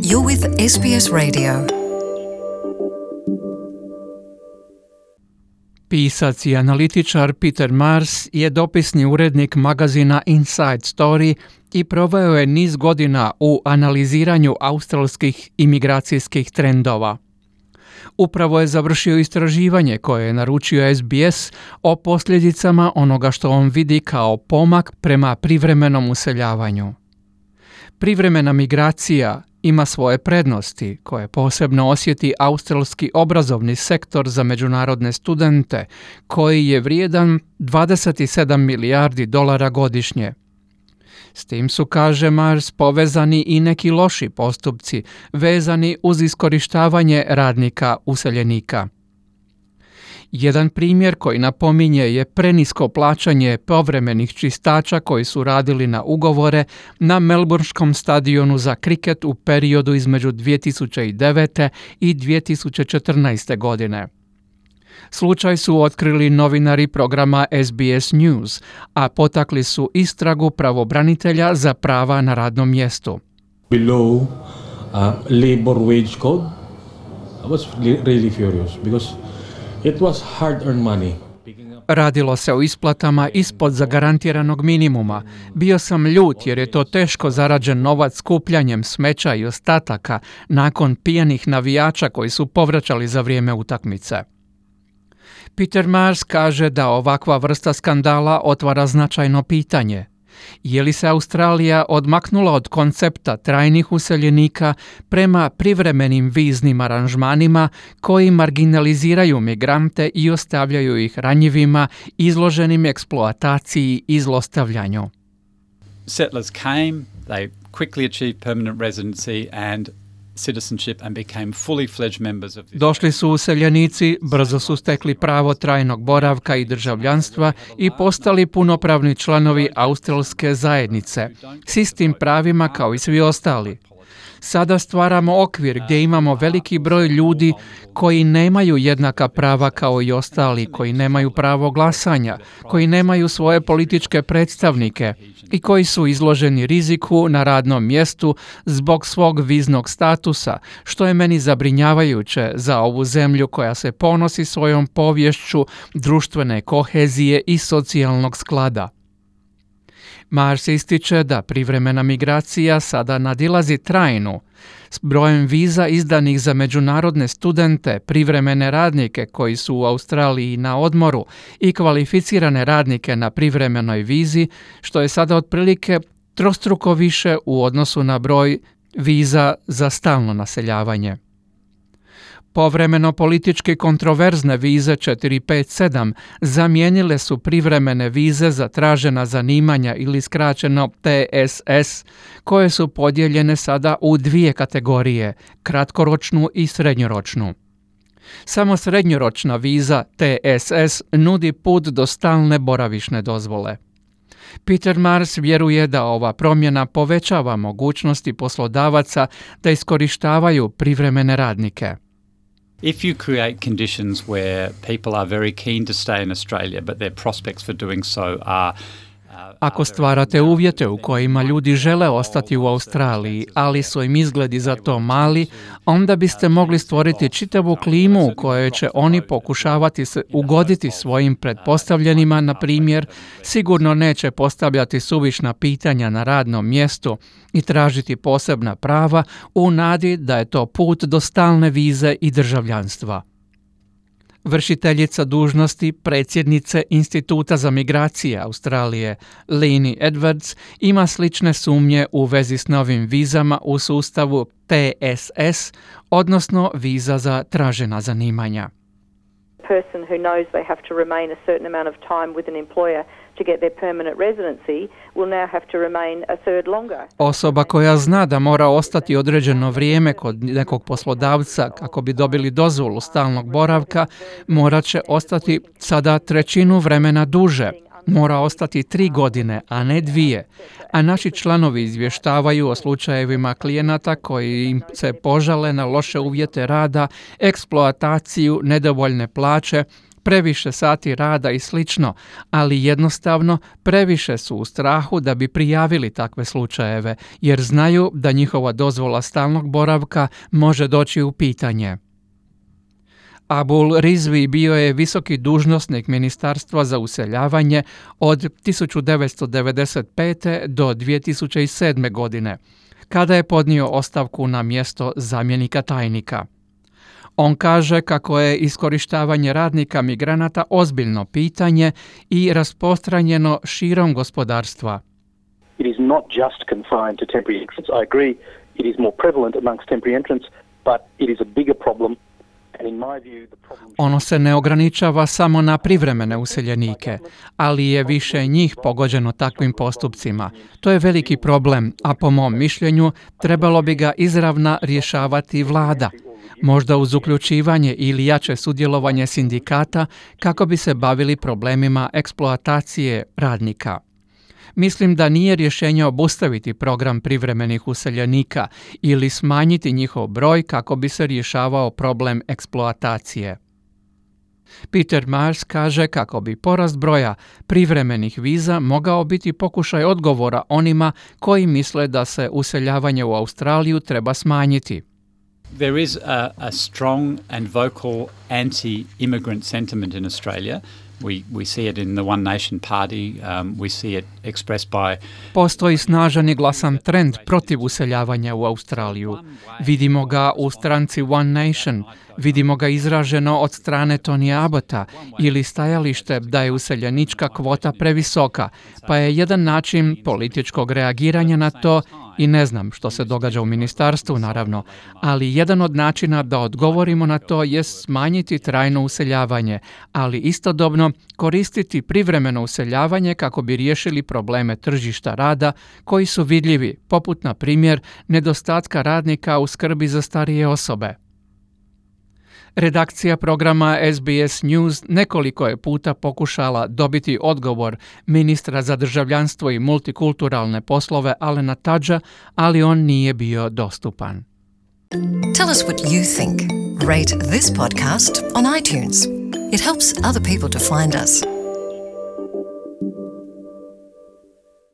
You're with SBS Radio. Pisac i analitičar Peter Marrs je dopisni urednik magazina Inside Story i proveo je niz godina u analiziranju australskih imigracijskih trendova. Upravo je završio istraživanje koje je naručio SBS o posljedicama onoga što on vidi kao pomak prema privremenom useljavanju. Privremena migracija ima svoje prednosti koje posebno osjeti australski obrazovni sektor za međunarodne studente, koji je vrijedan 27 milijardi dolara godišnje. S tim su, kaže Marrs, povezani i neki loši postupci vezani uz iskorištavanje radnika useljenika. Jedan primjer koji napominje je prenisko plaćanje povremenih čistača koji su radili na ugovore na Melbourneskom stadionu za kriket u periodu između 2009. i 2014. godine. Slučaj su otkrili novinari programa SBS News, a potakli su istragu pravobranitelja za prava na radnom mjestu. Below labor wage code, I was really furious because it was hard-earned money. Radilo se o isplatama ispod zagarantiranog minimuma. Bio sam ljut jer je to teško zarađen novac skupljanjem smeća i ostataka nakon pijanih navijača koji su povraćali za vrijeme utakmice. Peter Marrs kaže da ovakva vrsta skandala otvara značajno pitanje. Je li se Australija odmaknula od koncepta trajnih useljenika prema privremenim viznim aranžmanima koji marginaliziraju migrante i ostavljaju ih ranjivima, izloženim eksploataciji i zlostavljanju? Settlers came, they quickly achieved permanent residency and citizenship and became fully fledged members of this. Došli su useljenici, brzo su stekli pravo trajnog boravka i državljanstva i postali punopravni članovi australske zajednice, s istim pravima kao i svi ostali. Sada stvaramo okvir gdje imamo veliki broj ljudi koji nemaju jednaka prava kao i ostali, koji nemaju pravo glasanja, koji nemaju svoje političke predstavnike i koji su izloženi riziku na radnom mjestu zbog svog viznog statusa, što je meni zabrinjavajuće za ovu zemlju koja se ponosi svojom poviješću društvene kohezije i socijalnog sklada. Marrs ističe da privremena migracija sada nadilazi trajnu, s brojem viza izdanih za međunarodne studente, privremene radnike koji su u Australiji na odmoru i kvalificirane radnike na privremenoj vizi, što je sada otprilike trostruko više u odnosu na broj viza za stalno naseljavanje. Povremeno politički kontroverzne vize 457 zamijenile su privremene vize za tražena zanimanja ili skraćeno TSS, koje su podijeljene sada u dvije kategorije, kratkoročnu i srednjoročnu. Samo srednjoročna viza TSS nudi put do stalne boravišne dozvole. Peter Marrs vjeruje da ova promjena povećava mogućnosti poslodavaca da iskorištavaju privremene radnike. If you create conditions where people are very keen to stay in Australia, but their prospects for doing so are Ako stvarate uvjete u kojima ljudi žele ostati u Australiji, ali su im izgledi za to mali, onda biste mogli stvoriti čitavu klimu u kojoj će oni pokušavati se ugoditi svojim pretpostavljenima, na primjer, sigurno neće postavljati suvišna pitanja na radnom mjestu i tražiti posebna prava u nadi da je to put do stalne vize i državljanstva. Vršiteljica dužnosti predsjednice Instituta za migracije Australije, Leni Edwards, ima slične sumnje u vezi s novim vizama u sustavu TSS, odnosno viza za tražena zanimanja. Person who knows they have to remain a certain amount of time with an employer to get their permanent residency will now have to remain a third longer. Osoba koja zna da mora ostati određeno vrijeme kod nekog poslodavca kako bi dobili dozvolu stalnog boravka, morat će ostati sada trećinu vremena duže. Mora ostati 3 godine, a ne 2. A naši članovi izvještavaju o slučajevima klijenata koji im se požale na loše uvjete rada, eksploataciju, nedovoljne plaće, previše sati rada i slično, ali jednostavno previše su u strahu da bi prijavili takve slučajeve, jer znaju da njihova dozvola stalnog boravka može doći u pitanje. Abul Rizvi bio je visoki dužnosnik Ministarstva za useljavanje od 1995. do 2007. godine, kada je podnio ostavku na mjesto zamjenika tajnika. On kaže kako je iskorištavanje radnika migranata ozbiljno pitanje i rasprostranjeno širom gospodarstva. It is not just confined to temporary entrants. I agree it is more prevalent amongst temporary entrants, but it is a bigger problem. Ono se ne ograničava samo na privremene useljenike, ali je više njih pogođeno takvim postupcima. To je veliki problem, a po mom mišljenju trebalo bi ga izravna rješavati vlada, možda uz uključivanje ili jače sudjelovanje sindikata kako bi se bavili problemima eksploatacije radnika. Mislim da nije rješenje obustaviti program privremenih useljenika ili smanjiti njihov broj kako bi se rješavao problem eksploatacije. Peter Mars kaže kako bi porast broja privremenih viza mogao biti pokušaj odgovora onima koji misle da se useljavanje u Australiju treba smanjiti. There is a strong and vocal anti-immigrant sentiment in Australia. We see it in the One Nation Party, we see it expressed by... Postoji snažan i glasan trend protiv useljavanja u Australiju. Vidimo ga u stranci One Nation, vidimo ga izraženo od strane Tony Abbotta ili stajalište da je useljenička kvota previsoka, pa je jedan način političkog reagiranja na to, i ne znam što se događa u ministarstvu naravno, ali jedan od načina da odgovorimo na to je smanjiti trajno useljavanje, ali istodobno koristiti privremeno useljavanje kako bi riješili probleme tržišta rada koji su vidljivi, poput na primjer nedostatka radnika u skrbi za starije osobe. Redakcija programa SBS News nekoliko je puta pokušala dobiti odgovor ministra za državljanstvo i multikulturalne poslove Alena Tudgea, ali on nije bio dostupan. Tell us what you think. Rate this podcast on iTunes. It helps other people to find us.